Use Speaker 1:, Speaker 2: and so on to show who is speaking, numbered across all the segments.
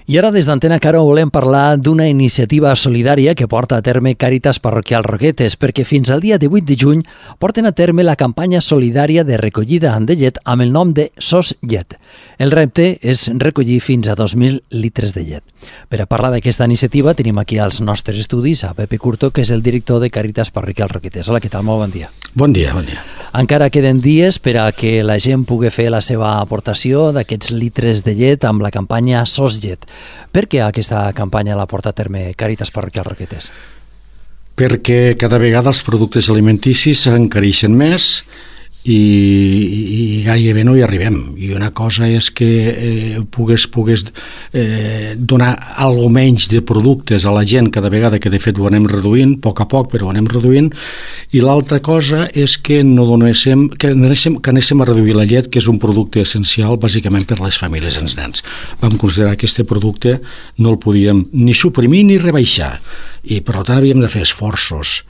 Speaker 1: I ara des d'Antena Caro volem parlar d'una iniciativa solidària que porta a terme Càritas Parroquial Roquetes, perquè fins al dia 18 de juny porten a terme la campanya solidària de recollida de llet amb el nom de SOS Llet. El repte és recollir fins a 2.000 litres de llet. Per a parlar d'aquesta iniciativa tenim aquí als nostres estudis a Pepe Curto, que és el director de Càritas Parroquial Roquetes. Hola, què tal? Molt bon dia.
Speaker 2: Bon dia, bon dia.
Speaker 1: Encara queden dies per a que la gent pugui fer la seva aportació d'aquests litres de llet amb la campanya SOS Llet. Per què aquesta campanya la porta a terme Càritas Parroquial Roquetes?
Speaker 2: Perquè cada vegada els productes alimenticis s'encareixen més i gairebé no hi arribem. I una cosa és que pugues donar algo menys de productes a la gent cada vegada, que de fet ho anem reduint, a poc, però ho anem reduint, i l'altra cosa és que anéssim a reduir la llet, que és un producte essencial bàsicament per a les famílies i els nens. Vam considerar que aquest producte no el podíem ni suprimir ni rebaixar, i per tant havíem de fer esforços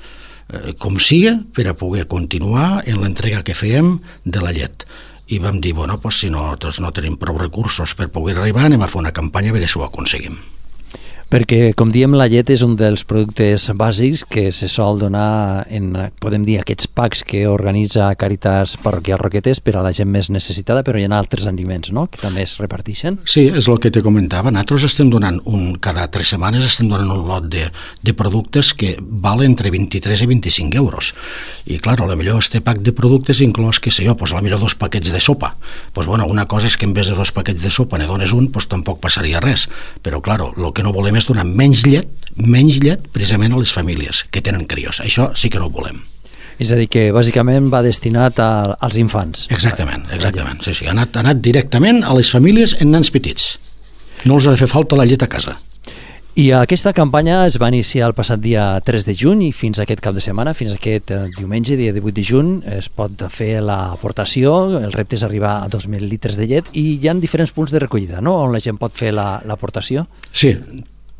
Speaker 2: com siga, per a poder continuar en l'entrega que fèiem de la llet. I vam dir, si nosaltres no tenim prou recursos per poder arribar, anem a fer una campanya a veure si ho aconseguim.
Speaker 1: Perquè, com diem, la llet és un dels productes bàsics que se sol donar en, podem dir, aquests packs que organitza Càritas Parroquial Roquetes per a la gent més necessitada, però hi ha altres aliments, no?, que també es reparteixen.
Speaker 2: Sí, és el que te comentava. Nosaltres estem donant cada 3 setmanes estem donant un lot de productes que valen entre 23 i 25 euros. I, clar, potser este pack de productes inclòs, què sé jo, potser 2 paquets de sopa. Una cosa és que en vez de 2 paquets de sopa ne dones un, tampoc passaria res. Però, clar, el que no volem és donar menys llet precisament a les famílies que tenen crios. Això sí que no ho volem.
Speaker 1: És a dir, que bàsicament va destinat als infants.
Speaker 2: Exactament. Sí. Ha anat directament a les famílies en nens petits. No els ha de fer falta la llet a casa.
Speaker 1: I aquesta campanya es va iniciar el passat dia 3 de juny i fins aquest cap de setmana, fins aquest diumenge, dia 18 de juny, es pot fer l'aportació. El repte és arribar a 2.000 litres de llet i hi ha diferents punts de recollida, no?, on la gent pot fer l'aportació.
Speaker 2: Sí,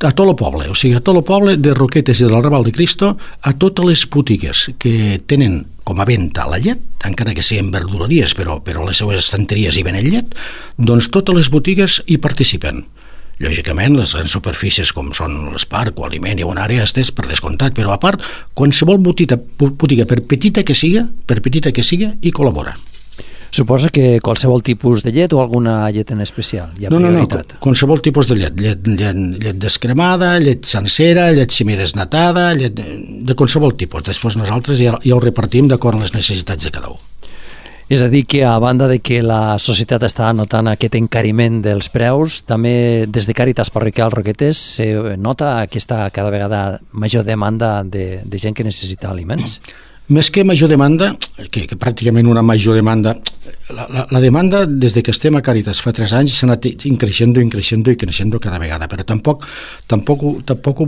Speaker 2: a tot el poble, a tot el poble de Roquetes i del Raval de Cristo, a totes les botigues que tenen com a venda la llet, encara que siguin verduleries, però les seues estanteries hi venen llet, doncs totes les botigues hi participen. Lògicament, les grans superfícies com són l'Esparc o Aliment i una àrea estès per descomptat, però a part, qualsevol botiga, per petita que siga, hi col·labora.
Speaker 1: Suposa que qualsevol tipus de llet o alguna llet en especial?
Speaker 2: No, qualsevol tipus de llet. Llet descremada, llet sencera, llet semidesnatada, llet de qualsevol tipus. Després nosaltres ja ho repartim d'acord amb les necessitats de cada un.
Speaker 1: És a dir, que a banda de que la societat està notant aquest encariment dels preus, també des de Càritas Parroquial Roquetes se nota aquesta cada vegada major demanda de gent que necessita aliments?
Speaker 2: Més que major demanda, que pràcticament una major demanda, la demanda des que estem a Càritas fa 3 anys s'ha anat creixent cada vegada, però tampoc ho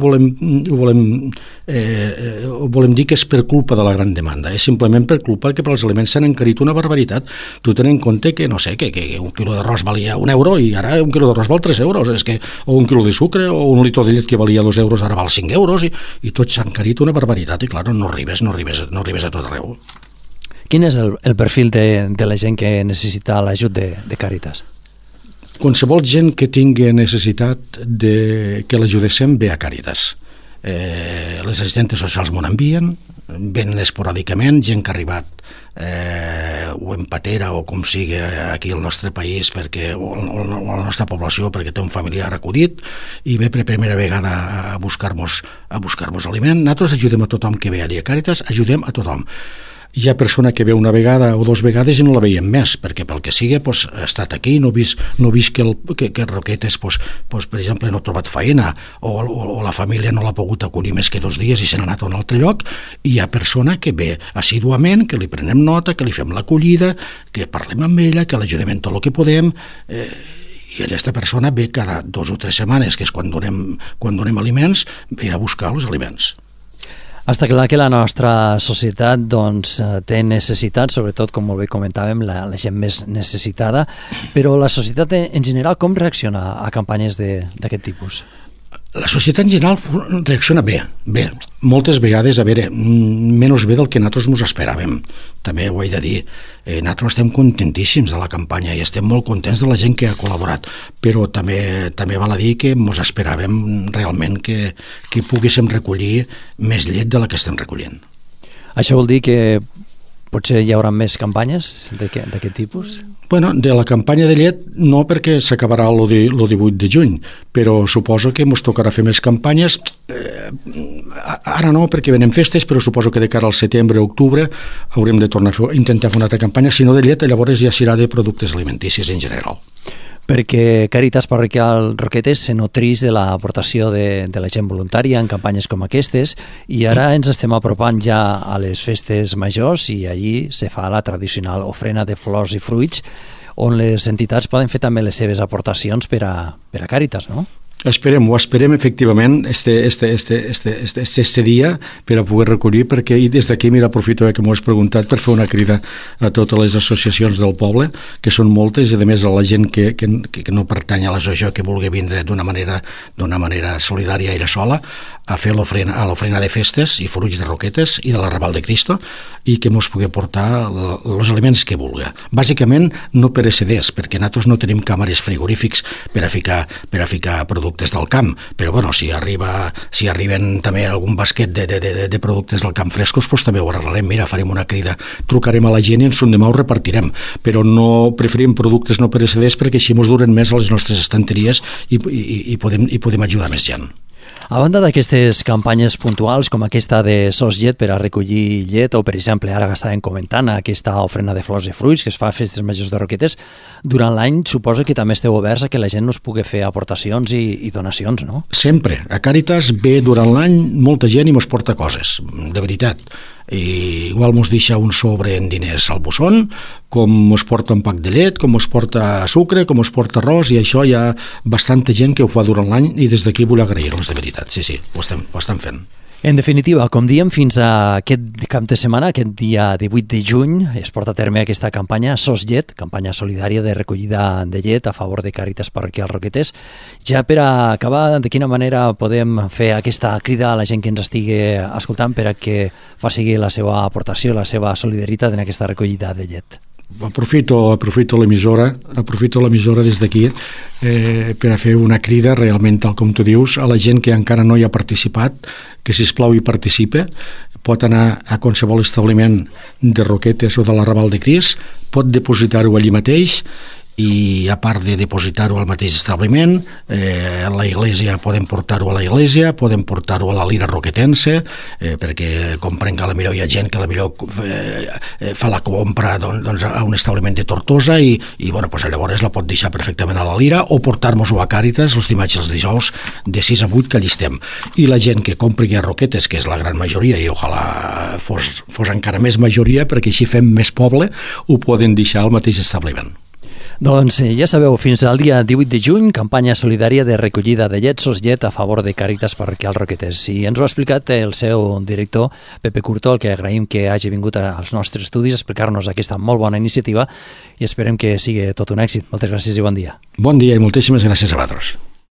Speaker 2: volem dir que és per culpa de la gran demanda, és simplement per culpa que els aliments s'han encarit una barbaritat. Tu ten en compte que, no sé, que un quilo d'arròs valia 1 euro i ara un quilo d'arròs val 3 euros, o un quilo de sucre o un litre de llet que valia 2 euros ara val 5 euros i tot s'ha encarit una barbaritat i, clar, no arribes a tot arreu.
Speaker 1: Quin és el perfil de la gent que necessita l'ajut de Càritas?
Speaker 2: Qualsevol gent que tingui necessitat que l'ajudéssim ve a Càritas. Les assistentes socials m'ho envien, venen esporàdicament, gent que ha arribat o en patera o com sigui aquí al nostre país o a la nostra població perquè té un familiar acudit i ve per primera vegada a buscar-nos aliment. Nosaltres ajudem a tothom que ve allà a Càritas, ajudem a tothom. Hi ha persona que ve una vegada o 2 vegades i no la veiem més, perquè pel que sigui ha estat aquí, no ha vist que Roquetes, per exemple, no ha trobat feina o la família no l'ha pogut acollir més que 2 dies i se n'ha anat a un altre lloc, i hi ha persona que ve assíduament, que li prenem nota, que li fem l'acollida, que parlem amb ella, que l'ajudem en tot el que podem, i aquesta persona ve cada 2 o 3 setmanes, que és quan donem aliments, ve a buscar els aliments.
Speaker 1: Està clar que la nostra societat té necessitats, sobretot, com molt bé comentàvem, la gent més necessitada, però la societat en general com reacciona a campanyes d'aquest tipus?
Speaker 2: La societat en general reacciona bé, moltes vegades, a veure, menys bé del que nosaltres ens esperàvem. També ho he de dir, nosaltres estem contentíssims de la campanya i estem molt contents de la gent que ha col·laborat, però també val a dir que ens esperàvem realment que poguéssim recollir més llet de la que estem recollint.
Speaker 1: Això vol dir que potser hi haurà més campanyes d'aquest tipus?
Speaker 2: Bueno, de la campanya de llet no, perquè s'acabarà el 18 de juny, però suposo que ens tocarà fer més campanyes. Ara no, perquè venen festes, però suposo que de cara al setembre o octubre haurem de tornar a intentar fer una altra campanya, si no de llet, llavors ja serà de productes alimenticis en general.
Speaker 1: Perquè Càritas Parroquial Roquetes se nutreix de l'aportació de la gent voluntària en campanyes com aquestes, i ara ens estem apropant ja a les festes majors i allí se fa la tradicional ofrena de flors i fruits, on les entitats poden fer també les seves aportacions per a Càritas, no?
Speaker 2: Esperem efectivament este dia per a poder recollir, perquè des d'aquí, mira, aprofito que m'ho has preguntat per fer una crida a totes les associacions del poble, que són moltes, i a més a la gent que no pertany a l'associació, que vulgui vindre d'una manera solidària i sola a fer l'ofrena de festes i fruits de Roquetes i de la Raval de Cristo, i que mos pugui portar els aliments que vulgui. Bàsicament no pereceders, perquè nosaltres no tenim càmeres frigorífics per a ficar productes del camp, però bueno, si arriben també algun basquet de productes del camp frescos, doncs també ho arreglarem. Mira, farem una crida, trucarem a la gent i ens demà ho repartirem, però no preferim productes no pereceders, perquè així ens duren més a les nostres estanteries i podem ajudar més gent.
Speaker 1: A banda d'aquestes campanyes puntuals com aquesta de Sos Llet per a recollir llet, o per exemple ara que estàvem comentant aquesta ofrena de flors i fruits que es fa a festes majors de Roquetes, durant l'any suposo que també esteu oberts a que la gent us pugui fer aportacions i donacions, no?
Speaker 2: Sempre. A Càritas ve durant l'any molta gent i mos porta coses, de veritat. I igual mos deixa un sobre en diners al bosson, com mos porta un pack de llet, com mos porta sucre, com mos porta arròs, i això hi ha bastanta gent que ho fa durant l'any, i des d'aquí vull agrair-los, de veritat. Sí, ho estem fent.
Speaker 1: En definitiva, com diem, fins a aquest cap de setmana, aquest dia 18 de juny, es porta a terme aquesta campanya Sos Llet, campanya solidària de recollida de llet a favor de Càritas Parroquial Roquetes. Ja per a acabar, de quina manera podem fer aquesta crida a la gent que ens estigui escoltant per a que faci la seva aportació, la seva solidaritat en aquesta recollida de llet?
Speaker 2: Aprofito l'emissora des d'aquí per a fer una crida realment, tal com tu dius, a la gent que encara no hi ha participat, que sisplau hi participe. Pot anar a qualsevol establiment de Roquetes o de la Raval de Crist, pot depositar-ho allí mateix, i a part de depositar-ho al mateix establiment, a la iglesia podem portar-ho a la iglesia, podem portar-ho a la lira roquetense, perquè compren que potser hi ha gent que potser fa la compra a un establiment de Tortosa i llavors la pot deixar perfectament a la lira, o portar-nos-ho a Càritas els dimarts i els dijous de 6 a 8 que allí estem. I la gent que compri a Roquetes, que és la gran majoria, i ojalà fos encara més majoria, perquè així fem més poble, ho poden deixar al mateix establiment.
Speaker 1: Doncs ja sabeu, fins al dia 18 de juny, campanya solidària de recollida de llet Sos Llet a favor de Càritas Parroquial Roquetes. I ens ho ha explicat el seu director, Pepe Curto, el que agraïm que hagi vingut als nostres estudis a explicar-nos aquesta molt bona iniciativa, i esperem que sigui tot un èxit. Moltes gràcies i bon dia.
Speaker 2: Bon dia i moltíssimes gràcies a vosaltres.